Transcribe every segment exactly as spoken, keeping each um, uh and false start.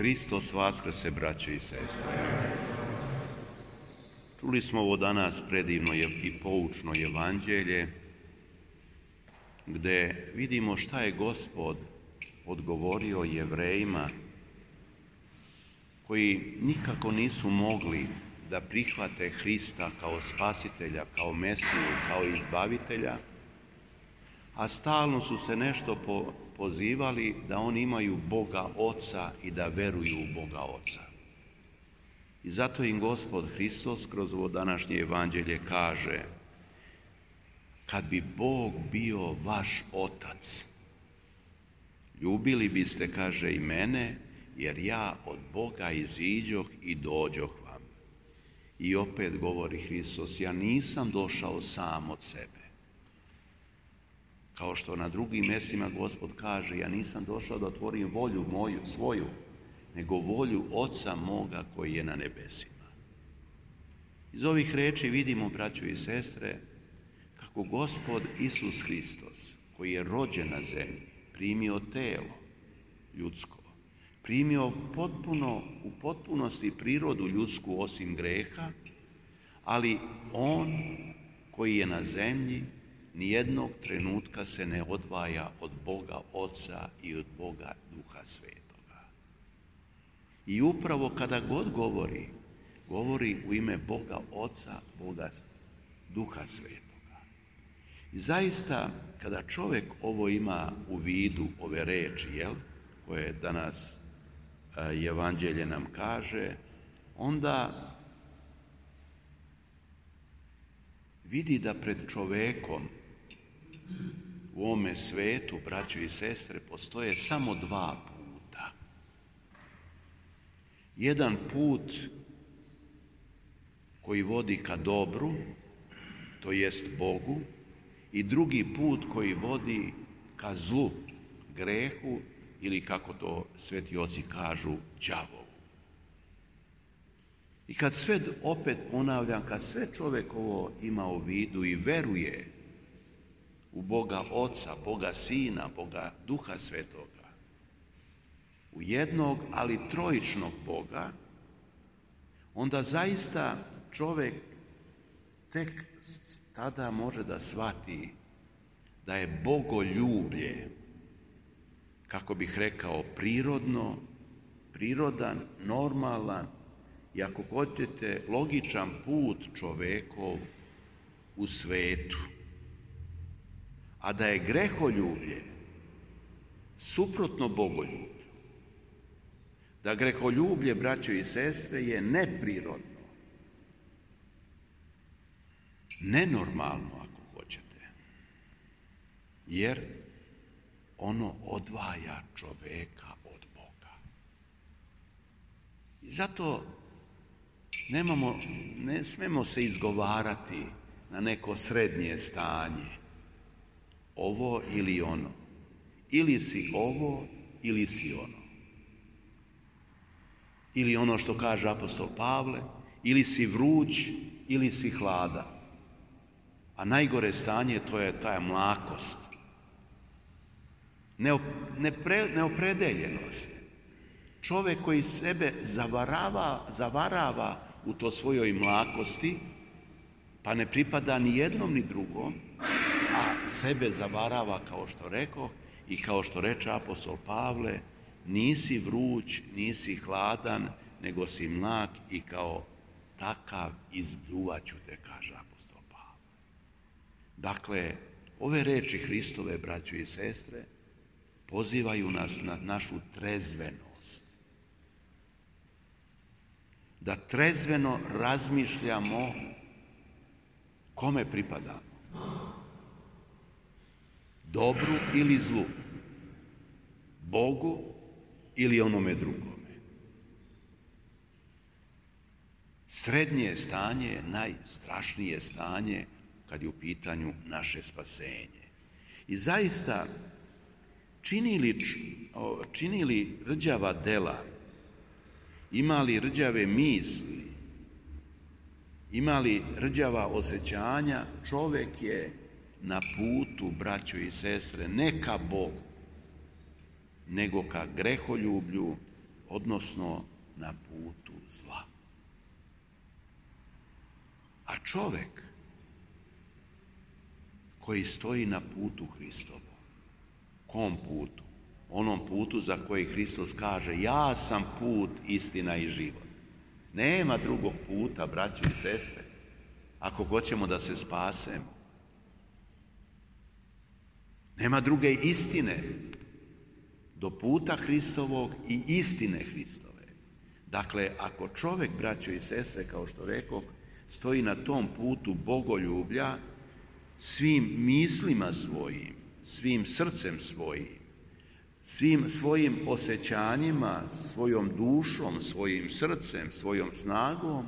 Hristos vaskrse, braćo i sestre. Čuli smo ovo danas predivno i poučno evanđelje, gdje vidimo šta je Gospod odgovorio Jevrejima koji nikako nisu mogli da prihvate Hrista kao spasitelja, kao Mesiju, kao izbavitelja, a stalno su se nešto po, pozivali da oni imaju Boga Oca i da veruju u Boga Oca. I zato im Gospod Hristos kroz ovo današnje evanđelje kaže: kad bi Bog bio vaš Otac, ljubili biste, kaže, i mene, jer ja od Boga iziđoh i dođoh vam. I opet govori Hristos: ja nisam došao sam od sebe. Kao što na drugim mjestima Gospod kaže: ja nisam došao da otvorim volju moju, svoju, nego volju Oca moga koji je na nebesima. Iz ovih riječi vidimo, braćo i sestre, kako Gospod Isus Hristos, koji je rođen na zemlji, primio telo ljudsko, primio potpuno, u potpunosti prirodu ljudsku osim greha, ali on koji je na zemlji nijednog trenutka se ne odvaja od Boga Oca i od Boga Duha Svetoga. I upravo kada god govori, govori u ime Boga Oca, Boga Duha Svetoga. I zaista, kada čovjek ovo ima u vidu, ove reči, jel, koje danas evanđelje nam kaže, onda vidi da pred čovjekom u ovome svetu, braćo i sestre, postoje samo dva puta. Jedan put koji vodi ka dobru, to jest Bogu, i drugi put koji vodi ka zlu, grehu, ili kako to sveti oci kažu, đavovu. I kad sve, opet ponavljam, kad sve čovjek ovo ima u vidu i veruje u Boga Oca, Boga Sina, Boga Duha Svetoga, u jednog, ali trojičnog Boga, onda zaista čovjek tek tada može da shvati da je bogoljublje, kako bih rekao, prirodno, prirodan, normalan i ako hoćete logičan put čovjekov u svetu. A da je greholjublje suprotno bogoljublju. Da greholjublje, braćo i sestre, je neprirodno, nenormalno ako hoćete, jer ono odvaja čovjeka od Boga. I zato nemamo, ne smemo se izgovarati na neko srednje stanje, ovo ili ono. Ili si ovo, ili si ono. Ili ono što kaže apostol Pavle, ili si vruć, ili si hladan. A najgore stanje to je ta mlakost. Nepre, neopredeljenost. Čovjek koji sebe zavarava, zavarava u to svojoj mlakosti, pa ne pripada ni jednom ni drugom, a sebe zavarava, kao što rekao i kao što reče apostol Pavle: nisi vruć, nisi hladan, nego si mlak i kao takav izbljuvaću te, kaže apostol Pavle. Dakle, ove reči Hristove, braćo i sestre, pozivaju nas na našu trezvenost. Da trezveno razmišljamo kome pripadamo. Dobru ili zlu. Bogu ili onome drugome. Srednje stanje je najstrašnije stanje kad je u pitanju naše spasenje. I zaista, čini li, čini li rđava dela, ima li rđave misli, ima li rđava osjećanja, čovjek je na putu, braćo i sestre, ne ka Bogu, nego ka greholjublju, odnosno na putu zla. A čovjek koji stoji na putu Hristovom, kom putu? Onom putu za koji Hristos kaže ja sam put, istina i život. Nema drugog puta, braćo i sestre, ako hoćemo da se spasemo. Nema druge istine do puta Hristovog i istine Hristove. Dakle, ako čovjek, braćo i sestre, kao što rekoh, stoji na tom putu bogoljublja, svim mislima svojim, svim srcem svojim, svim svojim osjećanjima, svojom dušom, svojim srcem, svojom snagom,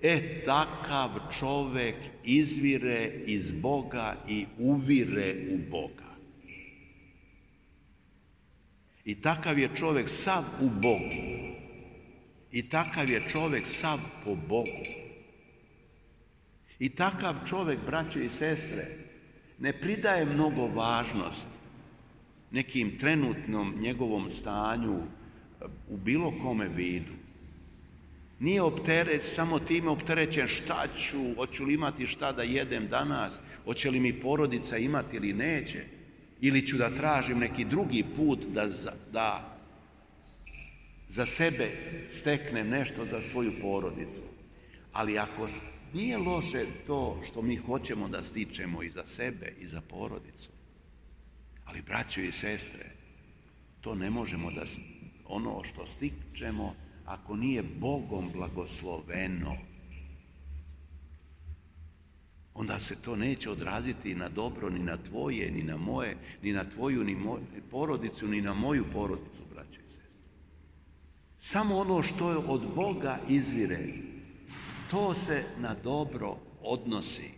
e takav čovjek izvire iz Boga i uvire u Boga. I takav je čovjek sav u Bogu. I takav je čovjek sav po Bogu. I takav čovjek, braćo i sestre, ne pridaje mnogo važnost nekim trenutnom njegovom stanju u bilo kome vidu. Nije opteret, samo time opterećen šta ću, hoću li imati šta da jedem danas, hoće li mi porodica imati ili neće, ili ću da tražim neki drugi put da, da za sebe steknem nešto za svoju porodicu. Ali ako nije loše to što mi hoćemo da stičemo i za sebe i za porodicu, ali braćo i sestre, to ne možemo da ono što stičemo ako nije Bogom blagosloveno, onda se to neće odraziti na dobro ni na tvoje, ni na moje, ni na tvoju, ni moju porodicu, ni na moju porodicu, braćo i sestre. Samo ono što je od Boga izvire, to se na dobro odnosi.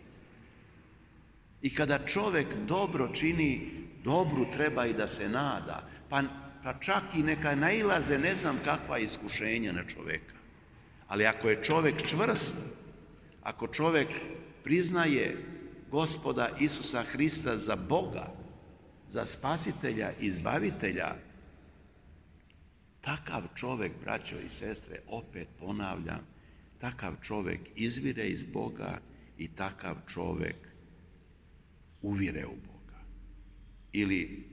I kada čovjek dobro čini, dobru treba i da se nada, pa, pa čak i neka nailaze ne znam kakva iskušenja na čovjeka. Ali ako je čovjek čvrst, ako čovjek priznaje Gospoda Isusa Hrista za Boga, za spasitelja, izbavitelja, takav čovjek, braćo i sestre, opet ponavljam, takav čovjek izvire iz Boga i takav čovjek uvire u Boga. Ili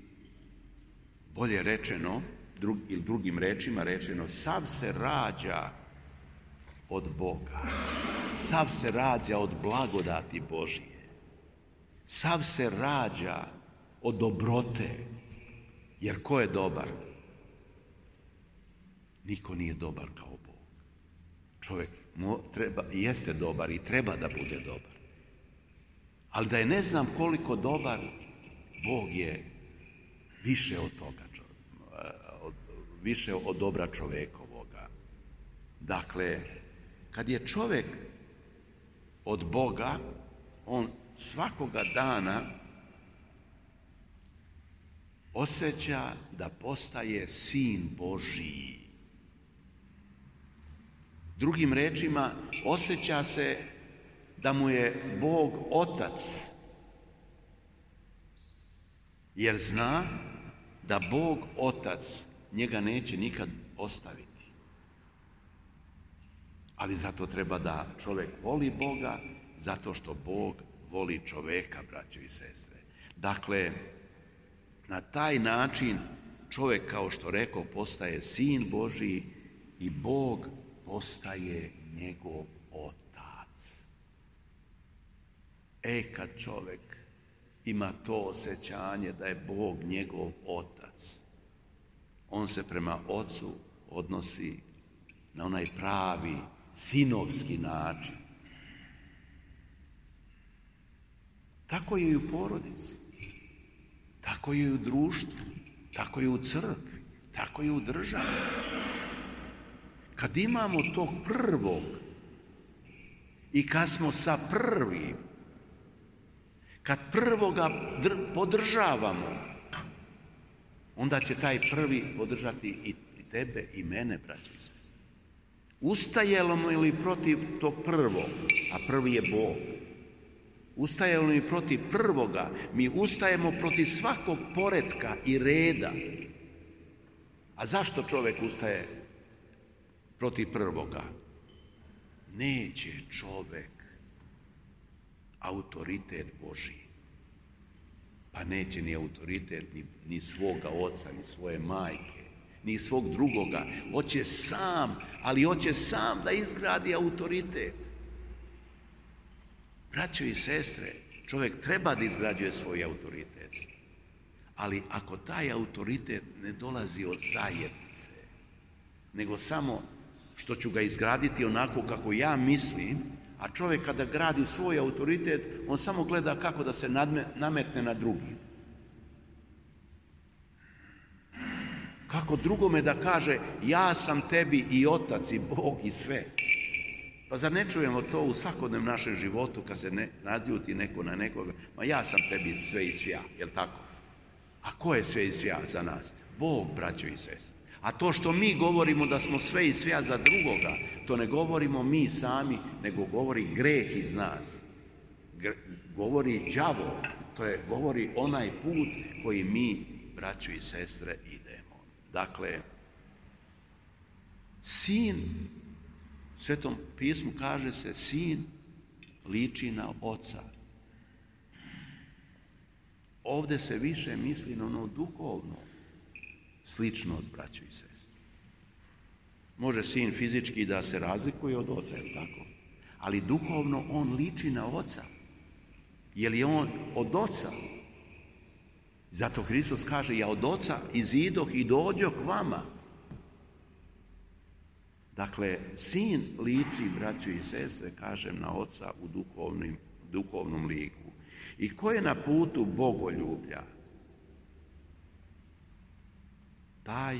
bolje rečeno, drug, ili drugim rečima rečeno, sav se rađa od Boga. Sav se rađa od blagodati Božije. Sav se rađa od dobrote. Jer ko je dobar? Niko nije dobar kao Bog. Čovjek treba, jeste dobar i treba da bude dobar. Ali da je ne znam koliko dobar, Bog je više od toga, od, više od dobra čovjekovoga. Dakle, kad je čovjek od Boga, on svakoga dana osjeća da postaje sin Božiji. Drugim rečima, osjeća se da mu je Bog otac, jer zna da Bog otac njega neće nikad ostaviti. Ali zato treba da čovjek voli Boga, zato što Bog voli čovjeka, braćo i sestre. Dakle, na taj način čovjek, kao što rekao, postaje sin Božiji i Bog postaje njegov otac. E, kad čovjek ima to osjećanje da je Bog njegov otac, on se prema ocu odnosi na onaj pravi sinovski način. Tako je i u porodici, tako je i u društvu, tako je u crkvi, tako je u državi. Kad imamo tog prvog i kad smo sa prvim, kad prvoga podržavamo, onda će taj prvi podržati i tebe i mene, braćo i sestre. Ustajemo li protiv tog prvog, a prvi je Bog, ustajemo li protiv prvoga, mi ustajemo protiv svakog poretka i reda. A zašto čovjek ustaje protiv prvoga. Neće čovek autoritet Božji. Pa neće ni autoritet ni, ni svoga oca, ni svoje majke, ni svog drugoga. Hoće sam, ali hoće sam da izgradi autoritet. Braćo i sestre, čovjek treba da izgrađuje svoj autoritet. Ali ako taj autoritet ne dolazi od zajednice, nego samo što ću ga izgraditi onako kako ja mislim, a čovjek kada gradi svoj autoritet, on samo gleda kako da se nadme, nametne na drugi. Kako drugome da kaže, ja sam tebi i otac i Bog i sve. Pa zar ne čujemo to u svakodnevnom našem životu kad se ne nadljuti neko na nekoga? Ma ja sam tebi sve i svja, jel tako? A ko je sve i svja za nas? Bog, braćo i sestre. A to što mi govorimo da smo sve i svja za drugoga, to ne govorimo mi sami, nego govori greh iz nas. Gre, govori đavo, to je govori onaj put koji mi, braćo i sestre, idemo. Dakle, sin, u Svetom pismu kaže se, sin liči na oca. Ovdje se više misli na ono duhovno sličnost, braćo i sestre. Može sin fizički da se razlikuje od oca, je tako? Ali duhovno on liči na oca. Jer je on od oca. Zato Hristos kaže, ja od oca izidoh i dođoh k vama. Dakle, sin liči, braćo i sestre, kažem, na oca u duhovnim, duhovnom liku. I ko je na putu bogoljublja? Taj,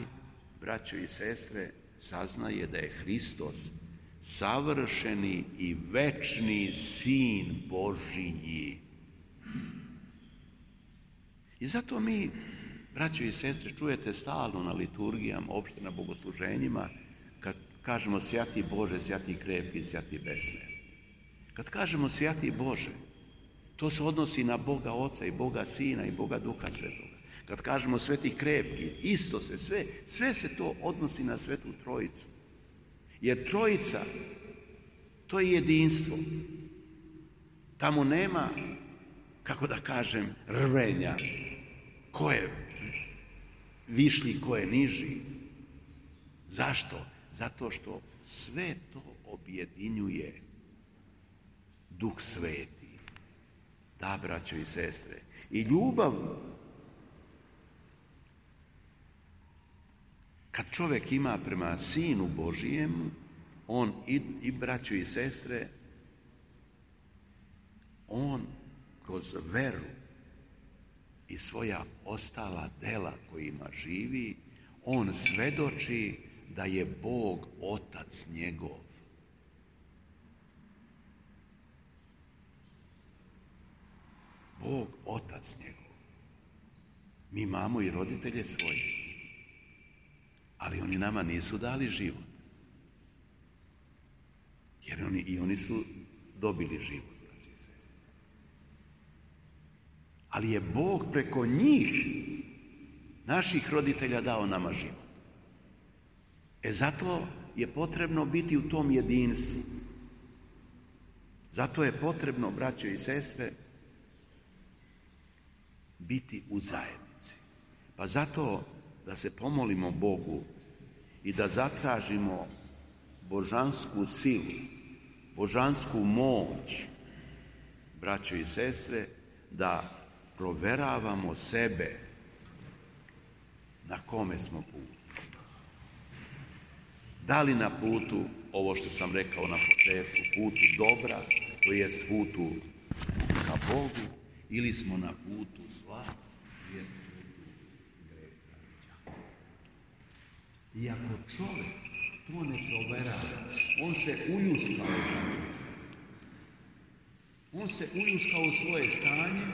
braćo i sestre, saznaje da je Hristos savršeni i večni sin Božiji. I zato mi, braćo i sestre, čujete stalno na liturgijama, opšte na bogosluženjima, kad kažemo svjati Bože, svjati krepki, svjati besmrtni. Kad kažemo svjati Bože, to se odnosi na Boga Oca i Boga Sina i Boga Duha Svetoga. Kad kažemo sveti krepki, isto se sve, sve se to odnosi na Svetu Trojicu. Jer Trojica, to je jedinstvo. Tamo nema, kako da kažem, rvenja. Ko je višlji, ko je niži. Zašto? Zato što sve to objedinjuje Duh Sveti. Da, braćo i sestre. I ljubav, kad čovjek ima prema Sinu Božijemu, on i, i braćo i sestre, on kroz veru i svoja ostala dela kojima živi, on svedoči da je Bog Otac njegov. Bog Otac njegov. Mi imamo i roditelje svoje, ali oni nama nisu dali život. Jer oni, i oni su dobili život. Ali je Bog preko njih, naših roditelja, dao nama život. E zato je potrebno biti u tom jedinstvu. Zato je potrebno, braćo i sestre, biti u zajednici. Pa zato da se pomolimo Bogu i da zatražimo božansku silu, božansku moć, braćo i sestre, da proveravamo sebe na kome smo putu. Da li na putu, ovo što sam rekao na početku, putu dobra, to jest putu ka Bogu, ili smo na putu zla, to jest putu greha. I ako čovjek to ne proverava, on se uljuškao. On se uljuškao u svoje stanje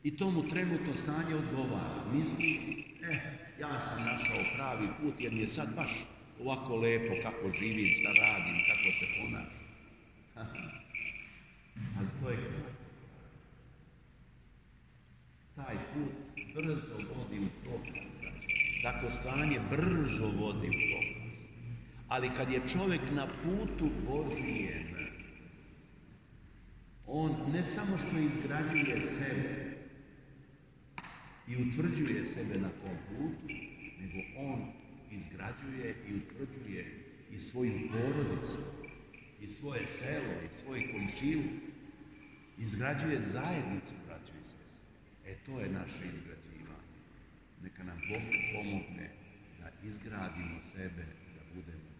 i tomu trenutno stanje odgovara. Misli, eh, ja sam našao pravi put jer mi je sad baš ovako lepo kako živim, šta radim, kako se ponašam. Ali to je kraj. Taj put brzo vodi u propast. Tako stanje brzo vodi u propast. Ali kad je čovjek na putu Božijem, on ne samo što izgrađuje sebe i utvrđuje sebe na tom putu, nego on izgrađuje i utvrđuje i svoju porodicu, i svoje selo, i svoj komšiju, izgrađuje zajednicu, braćo i sestre. E, to je naše izgrađivanje. Neka nam Bog pomogne da izgradimo sebe, da budemo